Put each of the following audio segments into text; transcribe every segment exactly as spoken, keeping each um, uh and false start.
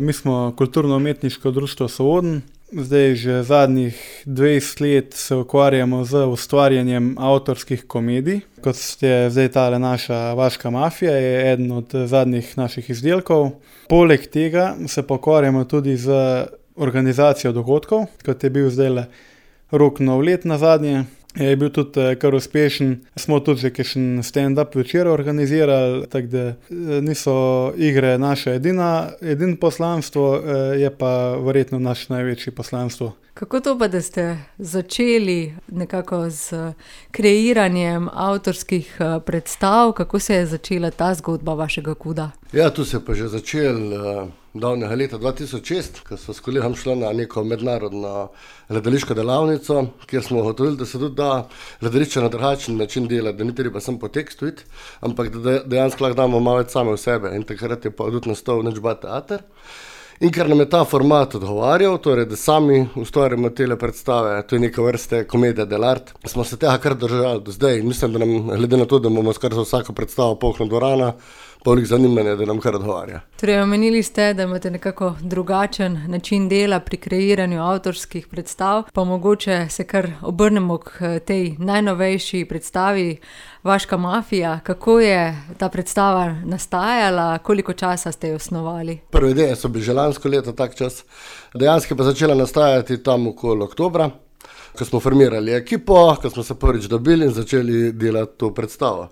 Mi smo kulturno-umetniško društvo Sovodenj. Zdaj že zadnjih dvajset let se ukvarjamo z ustvarjanjem avtorskih komedij. Kot je zdaj tale naša Vaška mafija, je eden od zadnjih naših izdelkov. Poleg tega se pa ukvarjamo tudi z organizacijo dogodkov, kot je bil zdajle Rok nov let nazadnje. Je bil tudi kar uspešen. Smo tudi že kakšen stand-up večer organizirali, tako da niso igre naše edina, edino poslanstvo, je pa verjetno naše največje poslanstvo. Kako to pa, da ste začeli nekako s kreiranjem avtorskih predstav? Kako se je začela ta zgodba vašega kuda? Ja, tu se je pa že začel uh, davnega leta dva tisoč šest, ko smo s kolegom šli na neko mednarodno gledališko delavnico, kjer smo ugotovili, da se tudi da gledališče na drugačen način delati, da ni treba samo po tekstu iti, ampak da dejansko lahko damo malo več same v sebe. In takrat je pa tudi nastal Nič ba teater. In ker nam je ta format odgovarjal, torej da sami ustvarjamo tele predstave, to je neka vrste komedija dell'arte, smo se tega kar držali do zdaj. Mislim, da nam, glede na to, da imamo skoraj za vsako predstavo polna dvorana, pa veliko zanimanja, da nam kar odgovarja. Torej, omenili ste, da imate nekako drugačen način dela pri kreiranju avtorskih predstav, pa mogoče se kar obrnemo k tej najnovejši predstavi Vaška mafija. Kako je ta predstava nastajala, koliko časa ste jo osnovali? Prve ideje so bili že lansko leto tak čas, dejansko pa začela nastajati tam okoli oktobra, ko smo formirali ekipo, ko smo se prvič dobili in začeli delati to predstavo.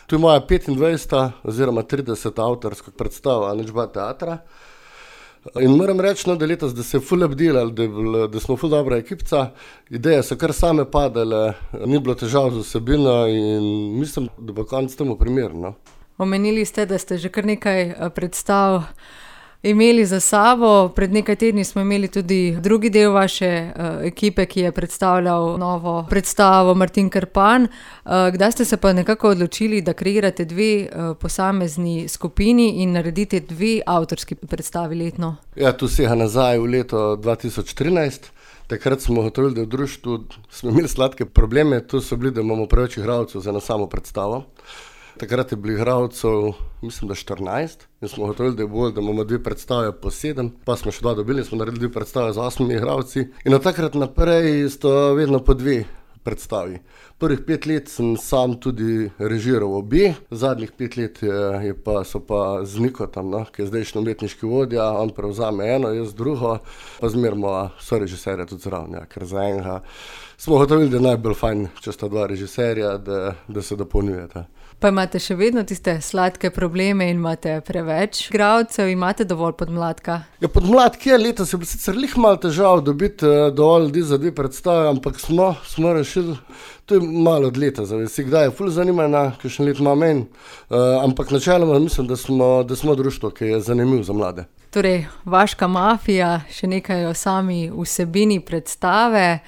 To je moja petindvajseta oziroma trideseta avtorska predstava Nič ba teatra. In moram reči, no, da letos, da se je ful obdelali, da, da smo ful dobra ekipca. Ideje so kar same padale, ni bilo težav z vsebino in mislim, da bo konec temu primerno. Omenili ste, da ste že kar nekaj predstav imeli za sabo. Pred nekaj tedni smo imeli tudi drugi del vaše uh, ekipe, ki je predstavljal novo predstavo Martin Krpan. Uh, kdaj ste se pa nekako odločili, da kreirate dve uh, posamezni skupini in naredite dve avtorski predstavi letno? Ja, tu sega nazaj v leto dva tisoč trinajst. Takrat smo ugotovili, da v društvu smo imeli sladke probleme. Tu so bili, da imamo preveč igralcev za eno samo predstavo. Takrat je bilo igralcev, mislim, da štirinajst, in smo ugotovili, da je bolj, da imamo dve predstave po sedem, pa smo še dva dobili in smo naredili dve predstave z osmimi igralci. In od takrat naprej sto vedno po dve predstavi. Prvih pet let sem sam tudi režiral obe, zadnjih pet let je, je pa, so pa z Nikotom, no, ki je zdajšnji umetniški vodja, on prevzame eno, jaz drugo, pa zmerimo so režiserja tudi zraven, ja, ker za enega smo ugotovili, da je najbolj fajn, če sta dva režiserja, da, da se dopolnjujeta. Pa imate še vedno tiste sladke probleme in imate preveč igralcev, imate dovolj podmladka? Ja, podmladki je letos, je bilo sicer lih malo težav dobiti dovolj ljudi za dve predstave, ampak smo, smo rešili, to je malo od leta, zavesi, kdaj je ful zanimanja, kakšen let ima meni, uh, ampak načeloma mislim, da smo, da smo društvo, ki je zanimiv za mlade. Torej, Vaška mafija, še nekaj o sami vsebini predstave.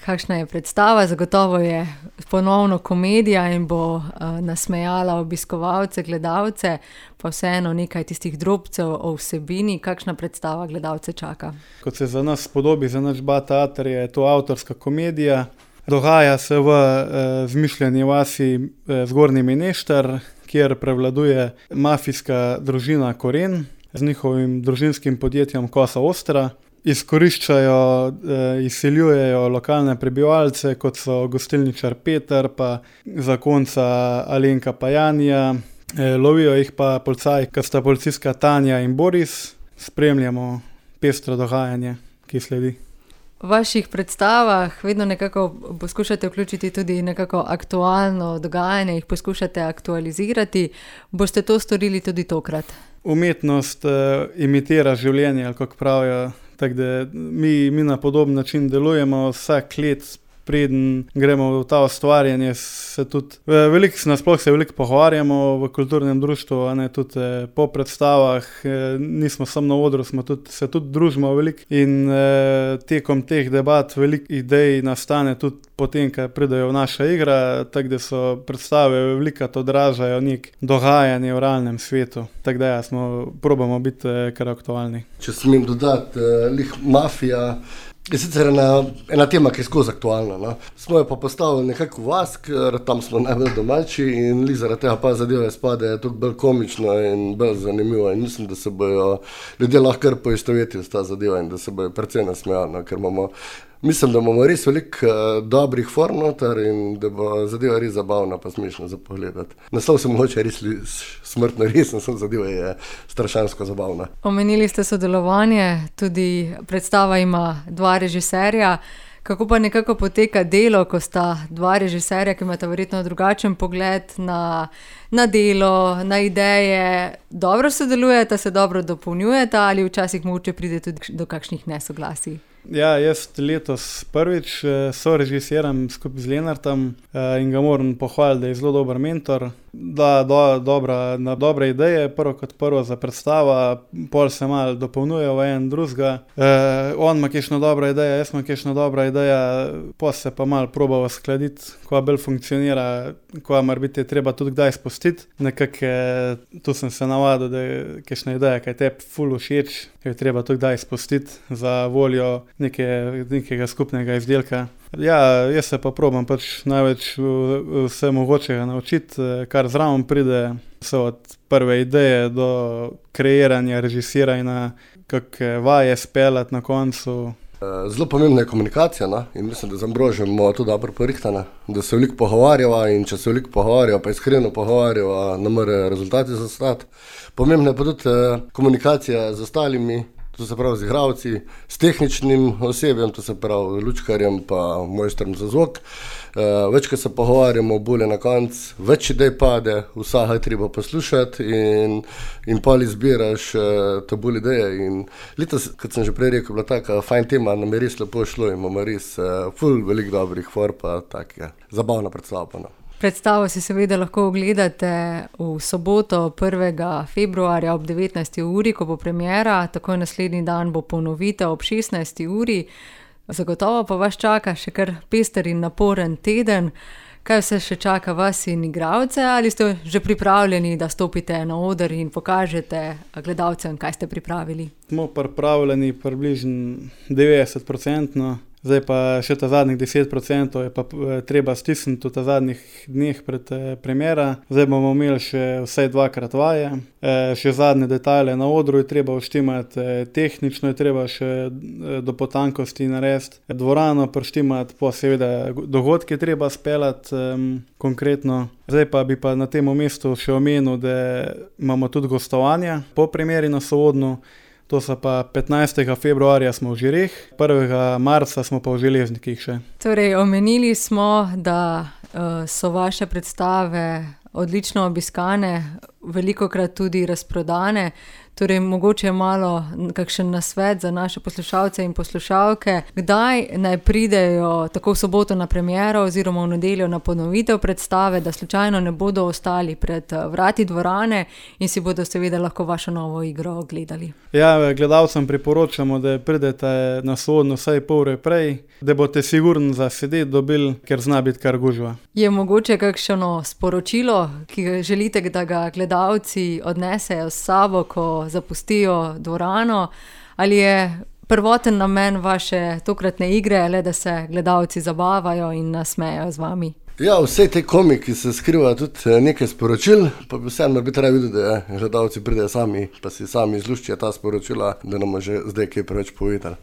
Kakšna je predstava? Zagotovo je ponovno komedija in bo uh, nasmejala obiskovalce, gledalce, pa vseeno nekaj tistih drobcev o vsebini. Kakšna predstava gledalce čaka? Kot se za nas spodobi, za Nič ba teater, je to avtorska komedija. Dogaja se v eh, zmišljeni vasi eh, Zgornji Menešter, kjer prevladuje mafijska družina Koren z njihovim družinskim podjetjem Kosa Ostra. Izkoriščajo, eh, izseljujejo lokalne prebivalce, kot so gostilničar Peter, pa zakonca Alenka pa Janija. Eh, lovijo jih pa policaji, kot sta policistka Tanja in Boris. Spremljamo pestro dogajanje, ki sledi. V vaših predstavah vedno nekako poskušate vključiti tudi nekako aktualno dogajanje, jih poskušate aktualizirati. Boste to storili tudi tokrat? Umetnost eh, imitira življenje, ali kako pravijo. Tako da mi, mi na podoben način delujemo vsak let, preden gremo v ta ustvarjanje, se tudi, veliko, nasploh se veliko pogovarjamo v kulturnem društvu, a ne tudi po predstavah, nismo samo na odru, smo tudi, se tudi družimo veliko in tekom teh debat veliko idej nastane tudi potem, ko pridejo v naša igra, tako da so predstave velikrat odražajo nek dogajanje v realnem svetu. Tako da ja, smo, probamo biti kar aktualni. Če smem dodati, lih mafija Je sicer ena, ena tema, ki je skozi aktualna. No. Smo jo pa postavili nekako v vas, ker tam smo najbolj domači in li zaradi tega pa zadeva izpade toliko bolj komično in bolj zanimivo. In mislim, da se bojo ljudje lahko kar poistovetili s ta zadeva in da se bojo precej nasmejali, no, ker imamo, mislim, da imamo res veliko uh, dobrih form noter in da bo zadeva res zabavna pa smešna za pogledati. Naslov se mogoče res li, smrtno resen, sem zadeva je strašansko zabavna. Omenili ste sodelovanje, tudi predstava ima dva režiserja. Kako pa nekako poteka delo, ko sta dva režiserja, ki imata verjetno drugačen pogled na, na delo, na ideje, dobro sodelujeta, se dobro dopolnjujeta ali včasih mogoče pride tudi do kakšnih nesoglasij? Ja, jaz letos prvič sorežisiram skupaj z Lenartom in ga moram pohvaliti, da je zelo dober mentor, da do, dobra, na dobre ideje, prvo kot prvo za predstava, pol se malo dopolnjuje v en drugega. Eh, on ima kakšno dobra ideja, jaz imam kakšno dobra ideja, pol se pa malo probava skladiti, ko bolj funkcionira, ko mora biti treba tudi kdaj spustiti. Nekako tu sem se navadil, da je kakšna ideja, kaj tebi ful všeč, jo je treba tudi kdaj spustiti za voljo neke, nekega skupnega izdelka. Ja, jaz se pa probam pač največ vse mogočega naučiti, kar zraven pride, vse od prve ideje do kreiranja, režisiranja, kakšne vaje speljati na koncu. Zelo pomembna je komunikacija, no? In mislim, da z Ambrožem to dobro porihtana, da se veliko pogovarjava in če se veliko pogovarjava, pa iskreno pogovarjava, ne more rezultati zastati. Pomembna je pa tudi komunikacija z ostalimi, to se pravi z igralci, s tehničnim osebjem, to se pravi lučkarjem pa mojstrom za zvok. Uh, več, ko se pogovarjamo, bolje na konc, več idej pade, vsega je treba poslušati in, in pol izbiraš uh, to bolj ideje. In letos, kot sem že prej rekel, bila taka fajn tema, nam je res lepo šlo in imamo res uh, ful veliko dobrih for, pa tak je zabavna predstava pa no. Predstavo si seveda lahko ogledate v soboto prvega februarja ob devetnajsti uri, ko bo premiera, takoj naslednji dan bo ponovitev ob šestnajsti uri. Zagotovo pa vas čaka še kar pester in naporen teden. Kaj vse še čaka vas in igralce, ali ste že pripravljeni, da stopite na oder in pokažete gledalcem, kaj ste pripravili? Smo pripravljeni približno devetdeset procentno. Zdaj pa še ta zadnjih deset procentov je pa treba stisniti v ta zadnjih dneh pred premiera. Zdaj bomo imeli še vsaj dvakrat vaje. E, še zadnje detajle na odru je treba uštimati, tehnično je treba še do potankosti narediti. Dvorano prištimati, pa seveda dogodke treba speljati um, konkretno. Zdaj pa bi pa na tem mestu še omenil, da imamo tudi gostovanja po premieri na Sovodnu. To so pa petnajstega februarja smo v Žireh, prvega marca smo pa v Železnikih še. Torej, omenili smo, da uh, so vaše predstave odlično obiskane, velikokrat tudi razprodane. Torej, mogoče malo kakšen nasvet za naše poslušalce in poslušalke. Kdaj naj pridejo tako v soboto na premiero oziroma v nedeljo na ponovitev predstave, da slučajno ne bodo ostali pred vrati dvorane in si bodo seveda lahko vašo novo igro ogledali? Ja, gledalcem priporočamo, da pridete na Sovodno vsaj pol ure prej, da boste sigurno za sedeti dobili, ker zna biti kar gužva. Je mogoče kakšno sporočilo, ki želite, da ga gledalci odnesejo s sabo, ko zapustijo dvorano, ali je prvoten namen vaše tokratne igre, le da se gledalci zabavajo in nasmejajo z vami? Ja, vse te komiki se skriva tudi nekaj sporočil, pa bi vseeno bi treba videti, da gledalci pridejo sami, pa si sami izluščijo ta sporočila, da nam že zdaj kaj preveč povedali.